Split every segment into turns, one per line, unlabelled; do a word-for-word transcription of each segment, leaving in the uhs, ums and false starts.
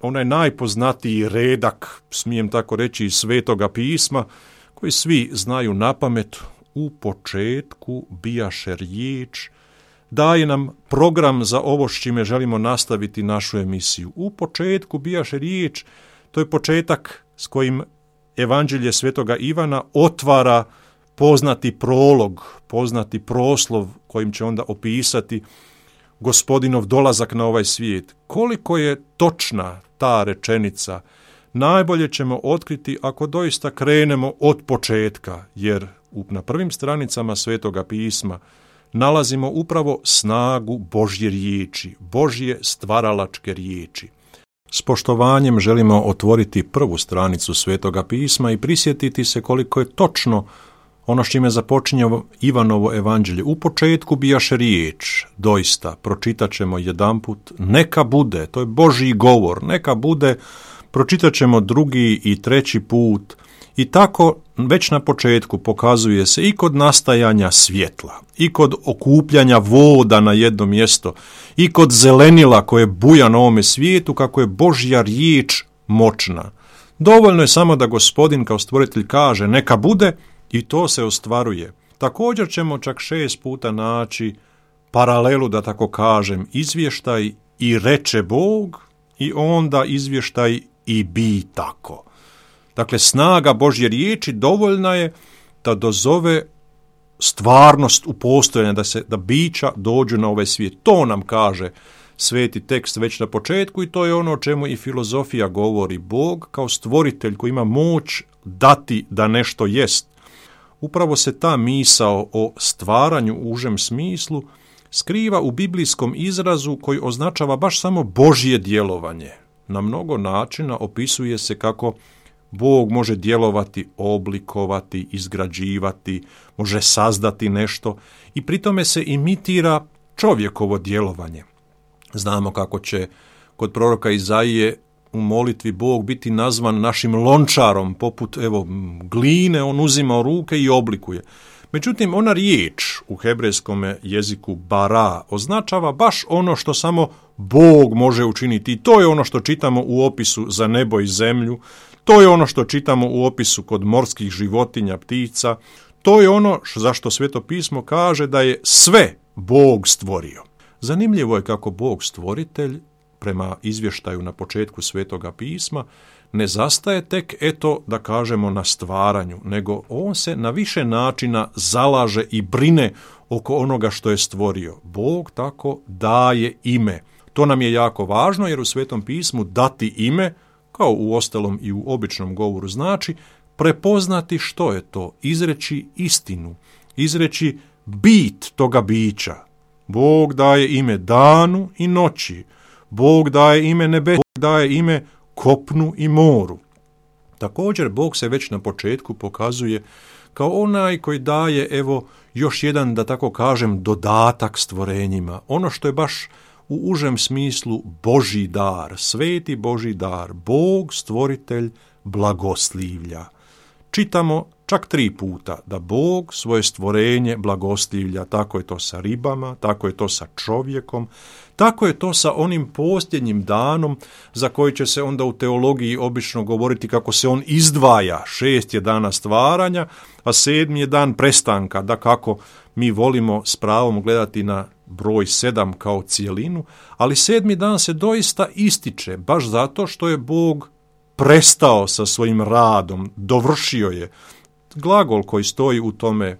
onaj najpoznatiji redak, smijem tako reći, iz Svetoga pisma, koji svi znaju napamet. U početku bijaše riječ, daje nam program za ovo s čime želimo nastaviti našu emisiju. U početku bijaše riječ, to je početak s kojim Evanđelje Svetoga Ivana otvara poznati prolog, poznati proslov kojim će onda opisati Gospodinov dolazak na ovaj svijet. Koliko je točna ta rečenica, najbolje ćemo otkriti ako doista krenemo od početka, jer na prvim stranicama Svetoga pisma nalazimo upravo snagu Božje riječi, Božje stvaralačke riječi. S poštovanjem želimo otvoriti prvu stranicu Svetoga pisma i prisjetiti se koliko je točno ono s čime započinje Ivanovo evanđelje. U početku bijaše riječ, doista, pročitat ćemo jedanput, neka bude, to je Božji govor, neka bude, pročitat ćemo drugi i treći put. I tako već na početku pokazuje se i kod nastajanja svjetla, i kod okupljanja voda na jedno mjesto, i kod zelenila koje buja na ovome svijetu, kako je Božja riječ moćna. Dovoljno je samo da Gospodin kao stvoritelj kaže neka bude i to se ostvaruje. Također ćemo čak šest puta naći paralelu, da tako kažem, izvještaj i reče Bog i onda izvještaj i bi tako. Dakle, snaga Božje riječi dovoljna je da dozove stvarnost u postojanje, da se da bića dođu na ovaj svijet. To nam kaže sveti tekst već na početku i to je ono o čemu i filozofija govori. Bog kao stvoritelj koji ima moć dati da nešto jest. Upravo se ta misao o stvaranju u užem smislu skriva u biblijskom izrazu koji označava baš samo Božje djelovanje. Na mnogo načina opisuje se kako Bog može djelovati, oblikovati, izgrađivati, može sazdati nešto i pri tome se imitira čovjekovo djelovanje. Znamo kako će kod proroka Izaije u molitvi Bog biti nazvan našim lončarom, poput evo gline, on uzima u ruke i oblikuje. Međutim, ona riječ u hebrejskom jeziku bara označava baš ono što samo Bog može učiniti. I to je ono što čitamo u opisu za nebo i zemlju, to je ono što čitamo u opisu kod morskih životinja, ptica, to je ono za što Sveto pismo kaže da je sve Bog stvorio. Zanimljivo je kako Bog stvoritelj, prema izvještaju na početku Svetoga pisma, ne zastaje tek, eto, da kažemo, na stvaranju, nego on se na više načina zalaže i brine oko onoga što je stvorio. Bog tako daje ime. To nam je jako važno, jer u Svetom pismu dati ime, kao u ostalom i u običnom govoru, znači prepoznati što je to, izreći istinu, izreći bit toga bića. Bog daje ime danu i noći, Bog daje ime nebesu, Bog daje ime kopnu i moru. Također, Bog se već na početku pokazuje kao onaj koji daje, evo, još jedan, da tako kažem, dodatak stvorenjima. Ono što je baš u užem smislu Božji dar, sveti Božji dar, Bog stvoritelj blagoslivlja. Čitamo čak tri puta da Bog svoje stvorenje blagoslivlja. Tako je to sa ribama, tako je to sa čovjekom, tako je to sa onim posljednjim danom za koji će se onda u teologiji obično govoriti kako se on izdvaja. Šest je dana stvaranja, a sedmi je dan prestanka. Da kako mi volimo s pravom gledati na broj sedam kao cijelinu, ali sedmi dan se doista ističe, baš zato što je Bog prestao sa svojim radom, dovršio je. Glagol koji stoji u tome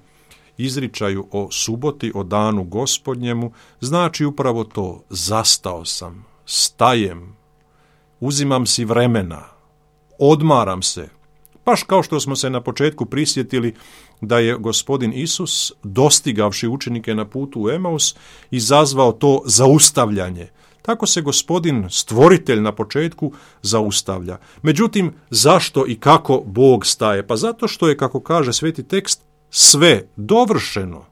izričaju o suboti, o danu Gospodnjemu, znači upravo to, zastao sam, stajem, uzimam si vremena, odmaram se. Baš kao što smo se na početku prisjetili da je Gospodin Isus, dostigavši učenike na putu u Emaus, izazvao to zaustavljanje. Tako se Gospodin, stvoritelj na početku, zaustavlja. Međutim, zašto i kako Bog staje? Pa zato što je, kako kaže sveti tekst, sve dovršeno.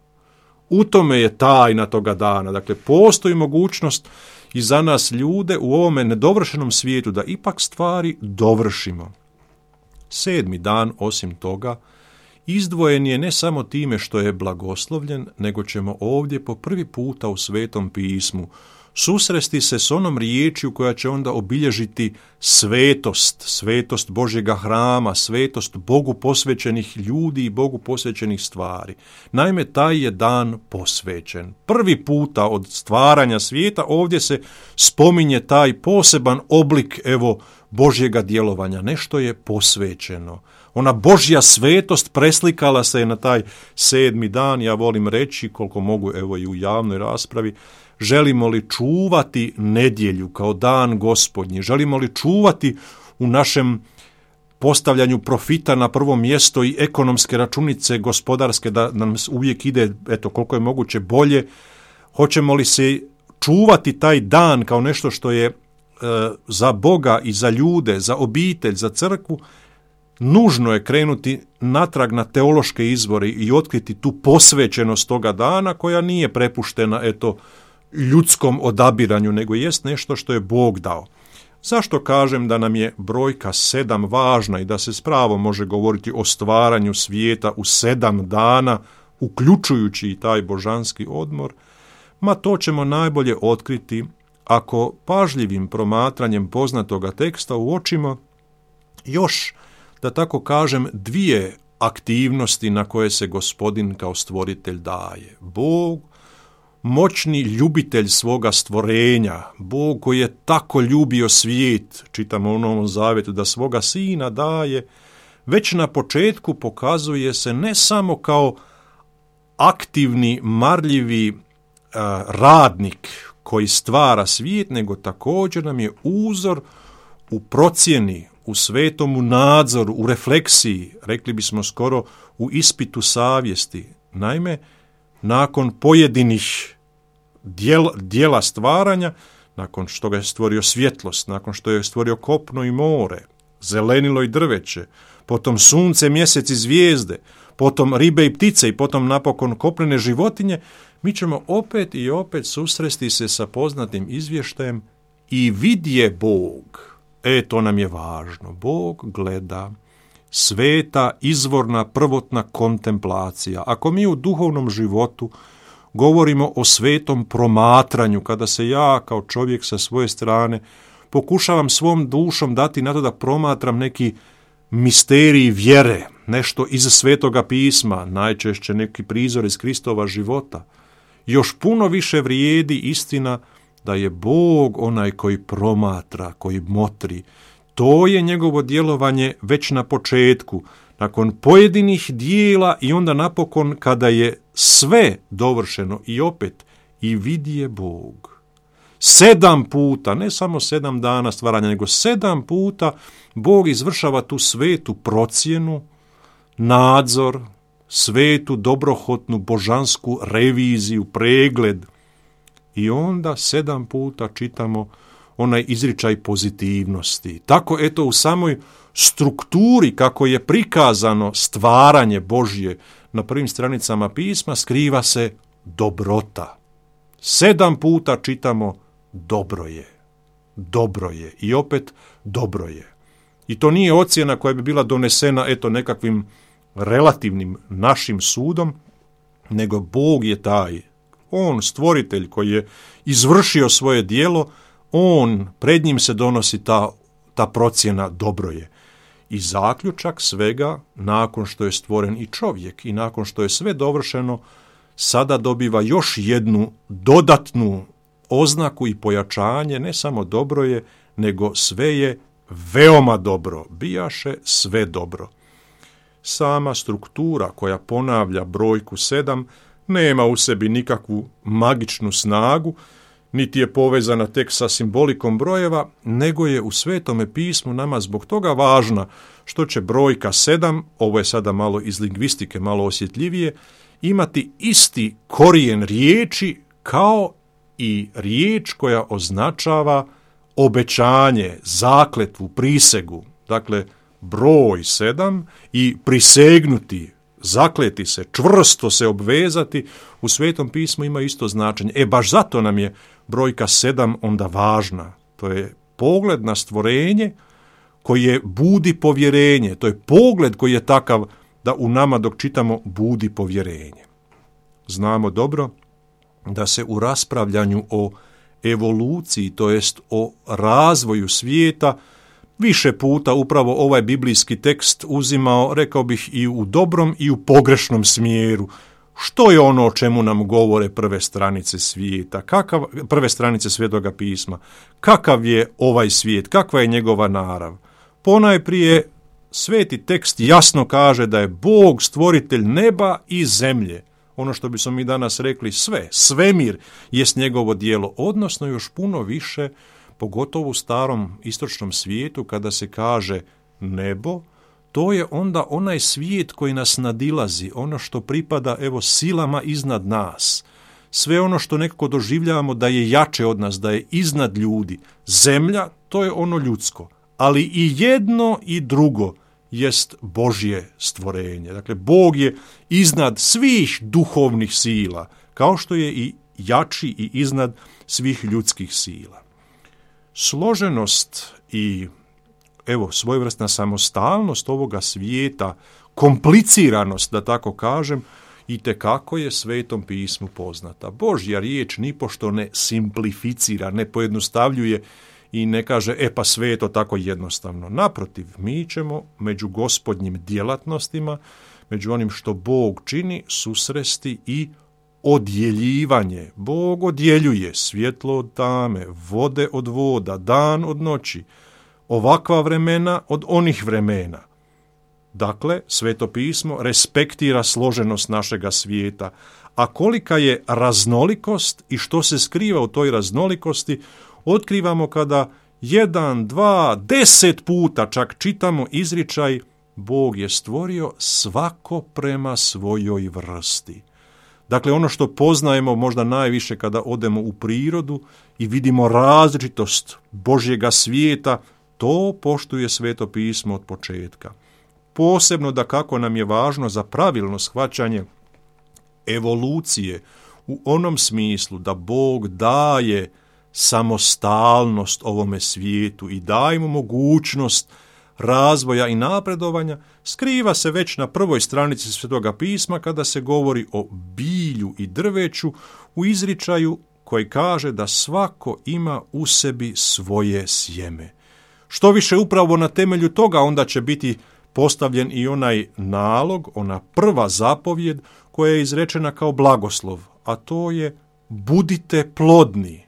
U tome je tajna toga dana. Dakle, postoji mogućnost i za nas ljude u ovome nedovršenom svijetu da ipak stvari dovršimo. Sedmi dan, osim toga, izdvojen je ne samo time što je blagoslovljen, nego ćemo ovdje po prvi puta u Svetom pismu susresti se s onom riječju koja će onda obilježiti svetost, svetost Božjega hrama, svetost Bogu posvećenih ljudi i Bogu posvećenih stvari. Naime, taj je dan posvećen. Prvi puta od stvaranja svijeta ovdje se spominje taj poseban oblik, evo, Božjega djelovanja. Nešto je posvećeno. Ona Božja svetost preslikala se je na taj sedmi dan. Ja volim reći, koliko mogu, evo i u javnoj raspravi, želimo li čuvati nedjelju kao dan Gospodnji? Želimo li čuvati u našem postavljanju profita na prvo mjesto i ekonomske računice gospodarske da nam uvijek ide, eto, koliko je moguće bolje? Hoćemo li se čuvati taj dan kao nešto što je e, za Boga i za ljude, za obitelj, za crkvu? Nužno je krenuti natrag na teološke izvore i otkriti tu posvećenost toga dana koja nije prepuštena, eto, ljudskom odabiranju, nego jest nešto što je Bog dao. Zašto kažem da nam je brojka sedam važna i da se s pravom može govoriti o stvaranju svijeta u sedam dana, uključujući i taj božanski odmor? Ma to ćemo najbolje otkriti ako pažljivim promatranjem poznatoga teksta uočimo još, da tako kažem, dvije aktivnosti na koje se Gospodin kao stvoritelj daje. Bog, moćni ljubitelj svoga stvorenja, Bog koji je tako ljubio svijet, čitamo u Novom Zavjetu, da svoga sina daje, već na početku pokazuje se ne samo kao aktivni, marljivi uh, radnik koji stvara svijet, nego također nam je uzor u procjeni, u svetomu nadzoru, u refleksiji, rekli bismo skoro u ispitu savjesti. Naime, nakon pojedinih dijela, dijela stvaranja, nakon što ga je stvorio svjetlost, nakon što je stvorio kopno i more, zelenilo i drveće, potom sunce, mjesec i zvijezde, potom ribe i ptice i potom napokon kopnene životinje, mi ćemo opet i opet susresti se sa poznatim izvještajem i vidje Bog. E, to nam je važno. Bog gleda, sveta, izvorna, prvotna kontemplacija. Ako mi u duhovnom životu govorimo o svetom promatranju, kada se ja kao čovjek sa svoje strane pokušavam svom dušom dati na to da promatram neki misterij vjere, nešto iz Svetoga pisma, najčešće neki prizor iz Kristova života, još puno više vrijedi istina da je Bog onaj koji promatra, koji motri. To je njegovo djelovanje već na početku, nakon pojedinih dijela i onda napokon kada je sve dovršeno i opet i vidje Bog. Sedam puta, ne samo sedam dana stvaranja, nego sedam puta Bog izvršava tu svetu procjenu, nadzor, svetu, dobrohotnu, božansku reviziju, pregled. I onda sedam puta čitamo onaj izričaj pozitivnosti. Tako, eto, u samoj strukturi kako je prikazano stvaranje Božje na prvim stranicama pisma skriva se dobrota. Sedam puta čitamo dobro je, dobro je i opet dobro je. I to nije ocjena koja bi bila donesena, eto, nekakvim relativnim našim sudom, nego Bog je taj, on stvoritelj koji je izvršio svoje djelo, on, pred njim se donosi ta, ta procjena dobro je. I zaključak svega, nakon što je stvoren i čovjek i nakon što je sve dovršeno, sada dobiva još jednu dodatnu oznaku i pojačanje, ne samo dobro je, nego sve je veoma dobro, bijaše sve dobro. Sama struktura koja ponavlja brojku sedam nema u sebi nikakvu magičnu snagu, niti je povezana tek sa simbolikom brojeva, nego je u Svetome pismu nama zbog toga važna što će brojka sedam, ovo je sada malo iz lingvistike, malo osjetljivije, imati isti korijen riječi kao i riječ koja označava obećanje, zakletvu, prisegu. Dakle, broj sedam i prisegnuti, zakleti se, čvrsto se obvezati, u Svetom pismu ima isto značenje. E, baš zato nam je brojka sedam onda važna. To je pogled na stvorenje koje budi povjerenje. To je pogled koji je takav da u nama dok čitamo budi povjerenje. Znamo dobro da se u raspravljanju o evoluciji, to jest o razvoju svijeta, više puta upravo ovaj biblijski tekst uzimao, rekao bih, i u dobrom i u pogrešnom smjeru. Što je ono o čemu nam govore prve stranice svijeta, kakav, prve stranice Svetoga pisma, kakav je ovaj svijet, kakva je njegova narav. Ponajprije, sveti tekst jasno kaže da je Bog stvoritelj neba i zemlje. Ono što bismo mi danas rekli sve, svemir jest njegovo djelo, odnosno još puno više, pogotovo u starom istočnom svijetu, kada se kaže nebo, to je onda onaj svijet koji nas nadilazi, ono što pripada evo silama iznad nas. Sve ono što nekako doživljavamo da je jače od nas, da je iznad ljudi. Zemlja, to je ono ljudsko, ali i jedno i drugo jest Božje stvorenje. Dakle, Bog je iznad svih duhovnih sila, kao što je i jači i iznad svih ljudskih sila. Složenost i evo svojevrsna samostalnost ovoga svijeta, kompliciranost, da tako kažem, itekako je Svetom pismu poznata. Božja riječ nipošto ne simplificira, ne pojednostavljuje i ne kaže, e pa sve je to tako jednostavno. Naprotiv, mi ćemo među gospodnjim djelatnostima, među onim što Bog čini, susresti i odjeljivanje. Bog odjeljuje svjetlo od tame, vode od voda, dan od noći, ovakva vremena od onih vremena. Dakle, Sveto pismo respektira složenost našega svijeta, a kolika je raznolikost i što se skriva u toj raznolikosti, otkrivamo kada jedan, dva, deset puta čak čitamo izričaj Bog je stvorio svako prema svojoj vrsti. Dakle, ono što poznajemo možda najviše kada odemo u prirodu i vidimo različitost Božjega svijeta, to poštuje Sveto pismo od početka. Posebno da kako nam je važno za pravilno shvaćanje evolucije u onom smislu da Bog daje samostalnost ovome svijetu i daje mu mogućnost razvoja i napredovanja, skriva se već na prvoj stranici Svetoga pisma kada se govori o bilju i drveću u izričaju koji kaže da svako ima u sebi svoje sjeme. Što više upravo na temelju toga onda će biti postavljen i onaj nalog, ona prva zapovjed koja je izrečena kao blagoslov, a to je budite plodni.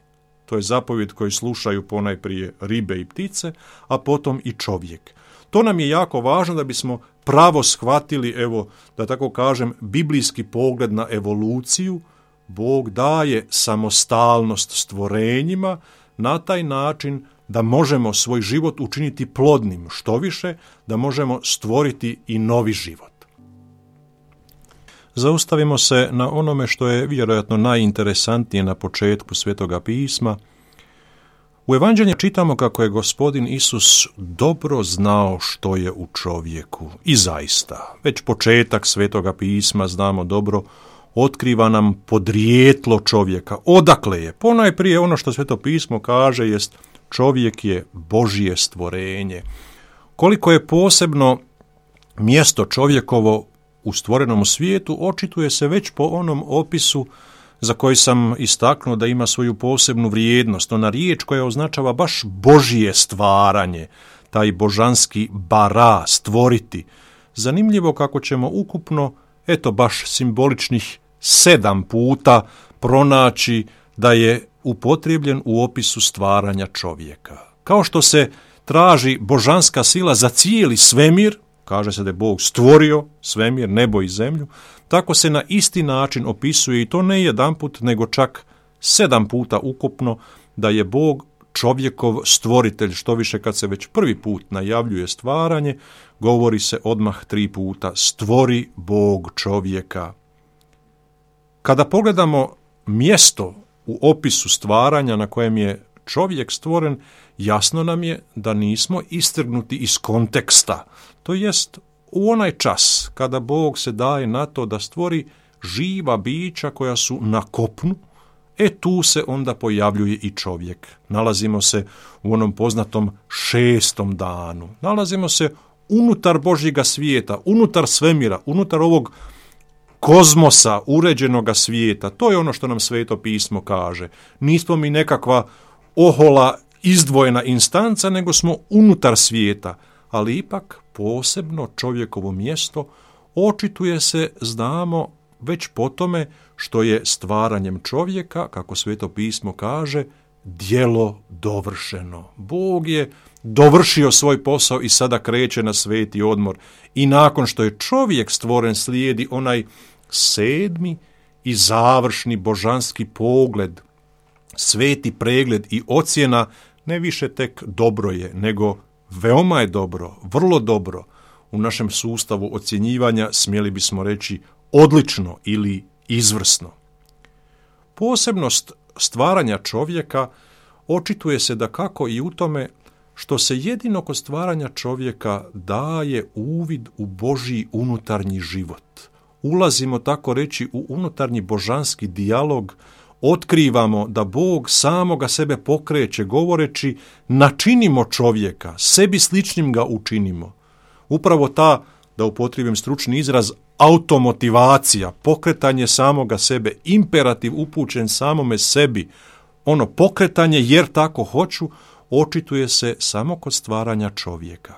To je zapovjed koju slušaju ponajprije ribe i ptice, a potom i čovjek. To nam je jako važno da bismo pravo shvatili, evo, da tako kažem, biblijski pogled na evoluciju. Bog daje samostalnost stvorenjima na taj način da možemo svoj život učiniti plodnim, što više, da možemo stvoriti i novi život. Zaustavimo se na onome što je vjerojatno najinteresantnije na početku Svetoga pisma. U Evanđelju čitamo kako je Gospodin Isus dobro znao što je u čovjeku. I zaista, već početak Svetoga pisma, znamo dobro, otkriva nam podrijetlo čovjeka. Odakle je? Ponajprije ono što Sveto pismo kaže jest čovjek je Božje stvorenje. Koliko je posebno mjesto čovjekovo u stvorenom svijetu, očituje se već po onom opisu za koji sam istaknuo da ima svoju posebnu vrijednost. Ona riječ koja označava baš Božje stvaranje, taj božanski bara, stvoriti. Zanimljivo kako ćemo ukupno, eto baš simboličnih sedam puta pronaći da je upotrijebljen u opisu stvaranja čovjeka. Kao što se traži božanska sila za cijeli svemir, kaže se da je Bog stvorio svemir, nebo i zemlju, tako se na isti način opisuje i to ne jedanput, nego čak sedam puta ukupno da je Bog čovjekov stvoritelj, što više kad se već prvi put najavljuje stvaranje, govori se odmah tri puta, stvori Bog čovjeka. Kada pogledamo mjesto u opisu stvaranja na kojem je čovjek stvoren, jasno nam je da nismo istrgnuti iz konteksta. To jest u onaj čas kada Bog se daje na to da stvori živa bića koja su na kopnu, e tu se onda pojavljuje i čovjek. Nalazimo se u onom poznatom šestom danu. Nalazimo se unutar Božjega svijeta, unutar svemira, unutar ovog kozmosa, uređenoga svijeta. To je ono što nam Sveto pismo kaže. Nismo mi nekakva ohola, izdvojena instanca, nego smo unutar svijeta, ali ipak posebno čovjekovo mjesto očituje se, znamo, već po tome što je stvaranjem čovjeka, kako Sveto pismo kaže, djelo dovršeno. Bog je dovršio svoj posao i sada kreće na sveti odmor. I nakon što je čovjek stvoren, slijedi onaj sedmi i završni božanski pogled, sveti pregled i ocjena, ne više tek dobro je, nego veoma je dobro, vrlo dobro. U našem sustavu ocjenjivanja smjeli bismo reći odlično ili izvrsno. Posebnost stvaranja čovjeka očituje se da kako i u tome što se jedino kod stvaranja čovjeka daje uvid u Božji unutarnji život. Ulazimo, tako reći, u unutarnji božanski dijalog, otkrivamo da Bog samoga sebe pokreće govoreći načinimo čovjeka, sebi sličnim ga učinimo. Upravo ta, da upotrijebim stručni izraz, automotivacija, pokretanje samoga sebe, imperativ upućen samome sebi, ono pokretanje jer tako hoću, očituje se samo kod stvaranja čovjeka.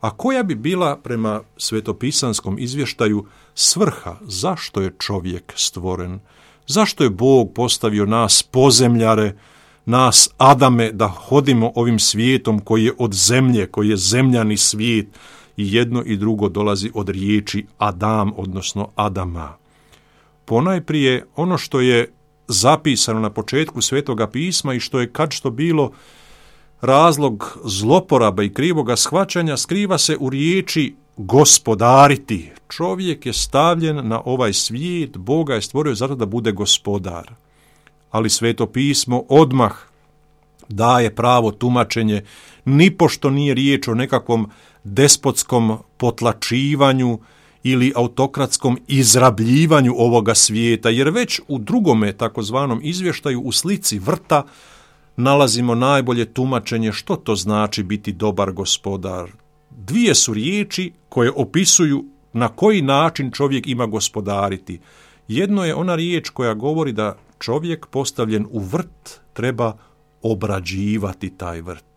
A koja bi bila prema svetopisanskom izvještaju svrha zašto je čovjek stvoren? Zašto je Bog postavio nas pozemljare, nas Adame, da hodimo ovim svijetom koji je od zemlje, koji je zemljani svijet, i jedno i drugo dolazi od riječi Adam, odnosno Adama. Ponajprije ono što je zapisano na početku Svetoga pisma i što je kad što bilo razlog zloporaba i krivoga shvaćanja, skriva se u riječi gospodariti. Čovjek je stavljen na ovaj svijet, Boga je stvorio zato da bude gospodar. Ali Sveto pismo odmah daje pravo tumačenje, nipošto nije riječ o nekakvom despotskom potlačivanju ili autokratskom izrabljivanju ovoga svijeta, jer već u drugome takozvanom izvještaju u slici vrta nalazimo najbolje tumačenje što to znači biti dobar gospodar. Dvije su riječi koje opisuju na koji način čovjek ima gospodariti. Jedno je ona riječ koja govori da čovjek postavljen u vrt treba obrađivati taj vrt.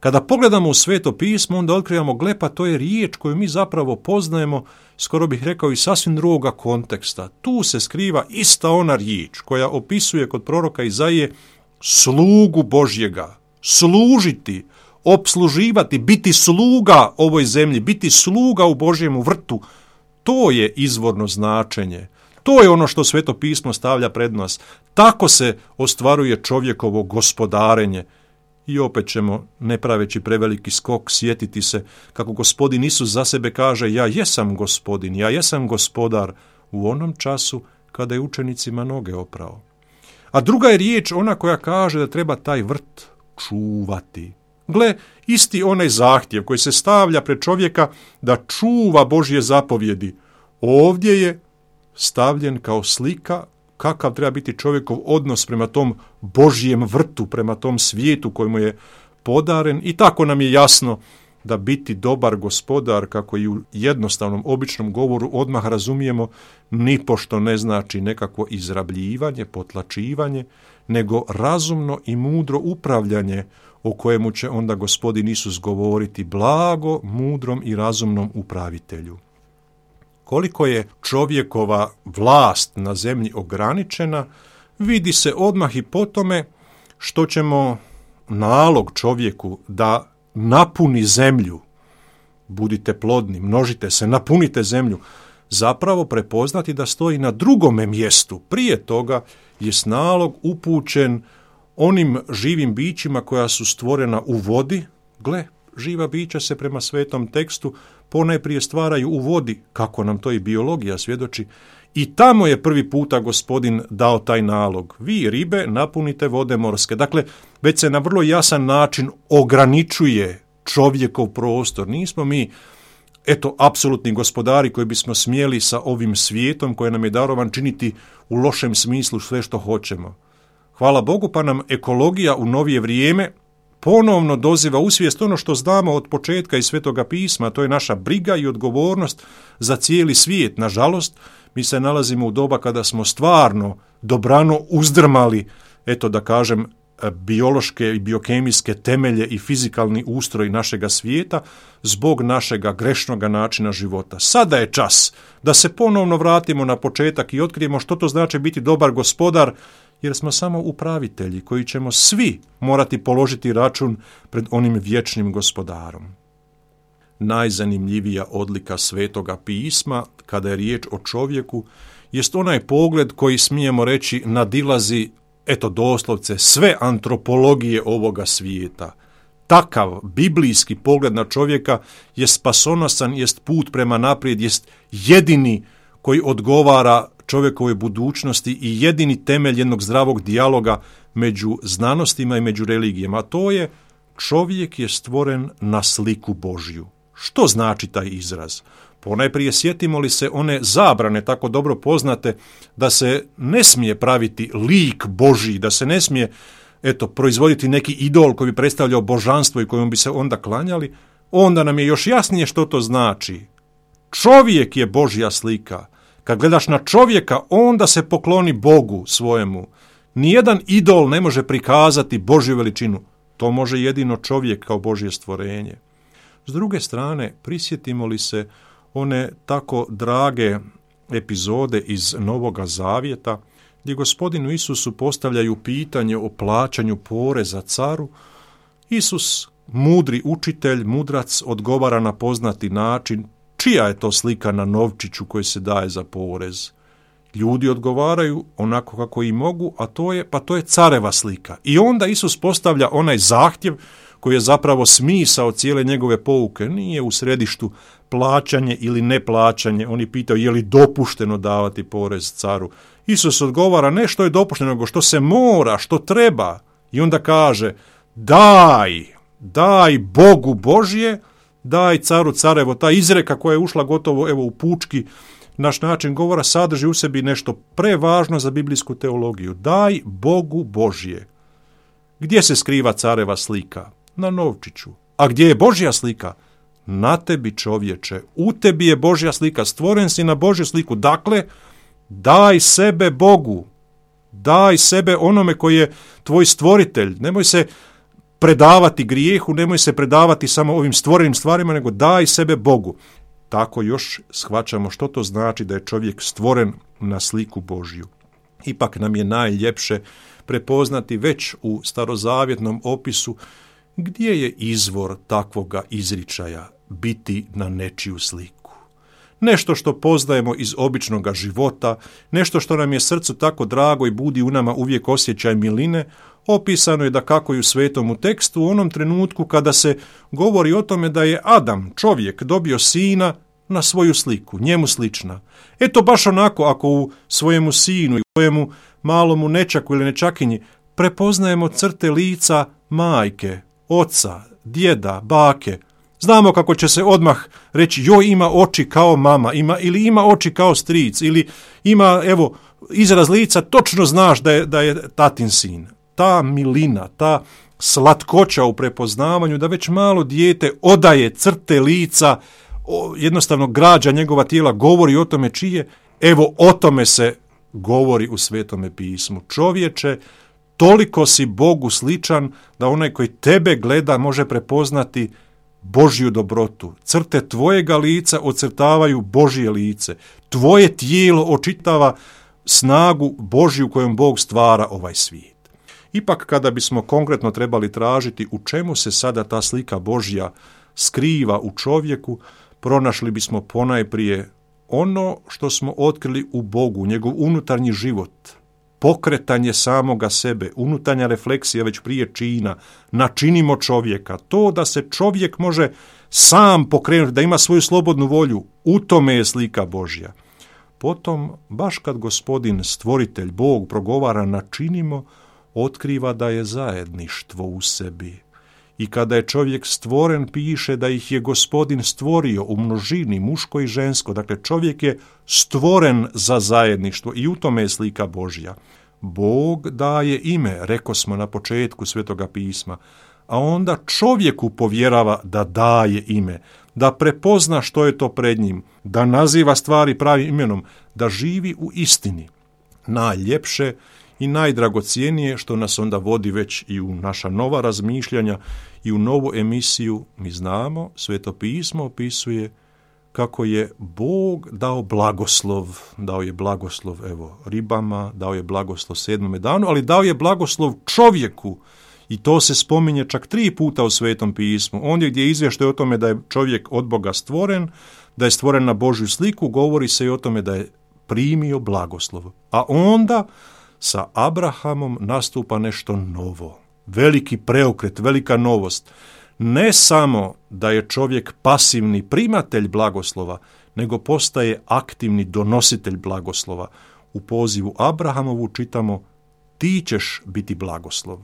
Kada pogledamo u Sveto pismo, onda otkrivamo, gle, pa to je riječ koju mi zapravo poznajemo, skoro bih rekao, iz sasvim drugoga konteksta. Tu se skriva ista ona riječ koja opisuje kod proroka Izaije slugu Božjega, služiti, opsluživati, biti sluga ovoj zemlji, biti sluga u Božjemu vrtu. To je izvorno značenje. To je ono što Sveto pismo stavlja pred nas. Tako se ostvaruje čovjekovo gospodarenje. I opet ćemo, ne praveći preveliki skok, sjetiti se kako Gospodin Isus za sebe kaže ja jesam Gospodin, ja jesam gospodar u onom času kada je učenicima noge oprao. A druga je riječ ona koja kaže da treba taj vrt čuvati. Gle, isti onaj zahtjev koji se stavlja pred čovjeka da čuva Božje zapovjedi, ovdje je stavljen kao slika kakav treba biti čovjekov odnos prema tom Božjem vrtu, prema tom svijetu kojemu je podaren, i tako nam je jasno da biti dobar gospodar, kako i u jednostavnom običnom govoru odmah razumijemo, nipošto ne znači nekakvo izrabljivanje, potlačivanje, nego razumno i mudro upravljanje o kojemu će onda Gospodin Isus govoriti blago, mudrom i razumnom upravitelju. Koliko je čovjekova vlast na zemlji ograničena, vidi se odmah i po tome što ćemo nalog čovjeku da napuni zemlju, budite plodni, množite se, napunite zemlju, zapravo prepoznati da stoji na drugome mjestu. Prije toga je nalog upućen onim živim bićima koja su stvorena u vodi. Gle, živa bića se prema svetom tekstu ponajprije stvaraju u vodi, kako nam to i biologija svjedoči, i tamo je prvi puta Gospodin dao taj nalog. Vi, ribe, napunite vode morske. Dakle, već se na vrlo jasan način ograničuje čovjekov prostor. Nismo mi, eto, apsolutni gospodari koji bismo smjeli sa ovim svijetom koji nam je darovan činiti u lošem smislu sve što hoćemo. Hvala Bogu, pa nam ekologija u novije vrijeme ponovno doziva u svijest ono što znamo od početka iz Svetoga pisma, to je naša briga i odgovornost za cijeli svijet. Nažalost, mi se nalazimo u doba kada smo stvarno dobrano uzdrmali, eto da kažem, biološke i biokemijske temelje i fizikalni ustroj našega svijeta zbog našega grešnoga načina života. Sada je čas da se ponovno vratimo na početak i otkrijemo što to znači biti dobar gospodar, jer smo samo upravitelji koji ćemo svi morati položiti račun pred onim vječnim gospodarom. Najzanimljivija odlika Svetoga pisma, kada je riječ o čovjeku, jest onaj pogled koji, smijemo reći, nadilazi, eto doslovce, sve antropologije ovoga svijeta. Takav biblijski pogled na čovjeka je spasonosan, jest put prema naprijed, jest jedini koji odgovara čovjekovoj budućnosti i jedini temelj jednog zdravog dijaloga među znanostima i među religijama. A to je, čovjek je stvoren na sliku Božju. Što znači taj izraz? Ponajprije sjetimo li se one zabrane tako dobro poznate da se ne smije praviti lik Božji, da se ne smije eto, proizvoditi neki idol koji bi predstavljao božanstvo i kojom bi se onda klanjali, onda nam je još jasnije što to znači. Čovjek je Božja slika. Kad gledaš na čovjeka, onda se pokloni Bogu svojemu. Nijedan idol ne može prikazati Božju veličinu. To može jedino čovjek kao Božje stvorenje. S druge strane, prisjetimo li se one tako drage epizode iz Novoga Zavjeta, gdje Gospodinu Isusu postavljaju pitanje o plaćanju poreza caru, Isus, mudri učitelj, mudrac, odgovara na poznati način, čija je to slika na novčiću koji se daje za porez. Ljudi odgovaraju onako kako i mogu, a to je, pa to je careva slika. I onda Isus postavlja onaj zahtjev koji je zapravo smisao cijele njegove pouke. Nije u središtu plaćanje ili neplaćanje. Oni pitaju je li dopušteno davati porez caru. Isus odgovara ne što je dopušteno, nego što se mora, što treba. I onda kaže daj, daj Bogu Božje, daj caru carevo. Ta izreka koja je ušla gotovo evo u pučki naš način govora sadrži u sebi nešto prevažno za biblijsku teologiju. Daj Bogu Božje. Gdje se skriva careva slika? Na novčiću. A gdje je Božja slika? Na tebi, čovječe. U tebi je Božja slika. Stvoren si na Božju sliku. Dakle, daj sebe Bogu. Daj sebe onome koji je tvoj stvoritelj. Nemoj se predavati grijehu, nemoj se predavati samo ovim stvorenim stvarima, nego daj sebe Bogu. Tako još shvaćamo što to znači da je čovjek stvoren na sliku Božju. Ipak nam je najljepše prepoznati već u starozavjetnom opisu gdje je izvor takvoga izričaja biti na nečiju sliku. Nešto što poznajemo iz običnoga života, nešto što nam je srcu tako drago i budi u nama uvijek osjećaj miline, opisano je da kako i u svetomu tekstu u onom trenutku kada se govori o tome da je Adam, čovjek, dobio sina na svoju sliku, njemu slična. Eto baš onako ako u svojemu sinu i u svojemu malomu nečaku ili nečakinji prepoznajemo crte lica majke, oca, djeda, bake, znamo kako će se odmah reći joj ima oči kao mama, ima, ili ima oči kao stric, ili ima evo izraz lica, točno znaš da je, da je tatin sin. Ta milina, ta slatkoća u prepoznavanju da već malo dijete odaje crte lica, jednostavno građa njegova tijela, govori o tome čije, evo o tome se govori u Svetome pismu. Čovječe, toliko si Bogu sličan da onaj koji tebe gleda može prepoznati Božju dobrotu. Crte tvojega lica ocrtavaju Božje lice. Tvoje tijelo očitava snagu Božju kojom Bog stvara ovaj svijet. Ipak kada bismo konkretno trebali tražiti u čemu se sada ta slika Božja skriva u čovjeku, pronašli bismo ponajprije ono što smo otkrili u Bogu, njegov unutarnji život, pokretanje samoga sebe, unutarnja refleksija već prije čina, načinimo čovjeka, to da se čovjek može sam pokrenuti, da ima svoju slobodnu volju, u tome je slika Božja. Potom, baš kad Gospodin, stvoritelj, Bog, progovara načinimo, otkriva da je zajedništvo u sebi. I kada je čovjek stvoren, piše da ih je Gospodin stvorio u množini, muško i žensko. Dakle, čovjek je stvoren za zajedništvo i u tome je slika Božja. Bog daje ime, rekosmo na početku Svetoga pisma, a onda čovjeku povjerava da daje ime, da prepozna što je to pred njim, da naziva stvari pravim imenom, da živi u istini. Najljepše i najdragocijenije što nas onda vodi već i u naša nova razmišljanja i u novu emisiju, mi znamo, Sveto pismo opisuje kako je Bog dao blagoslov, dao je blagoslov evo ribama, dao je blagoslov sedmome danu, ali dao je blagoslov čovjeku i to se spominje čak tri puta u Svetom pismu. Ondje gdje je izvještaj o tome da je čovjek od Boga stvoren, da je stvoren na Božju sliku, govori se i o tome da je primio blagoslov. A onda sa Abrahamom nastupa nešto novo, veliki preokret, velika novost. Ne samo da je čovjek pasivni primatelj blagoslova, nego postaje aktivni donositelj blagoslova. U pozivu Abrahamovu čitamo: ti ćeš biti blagoslov.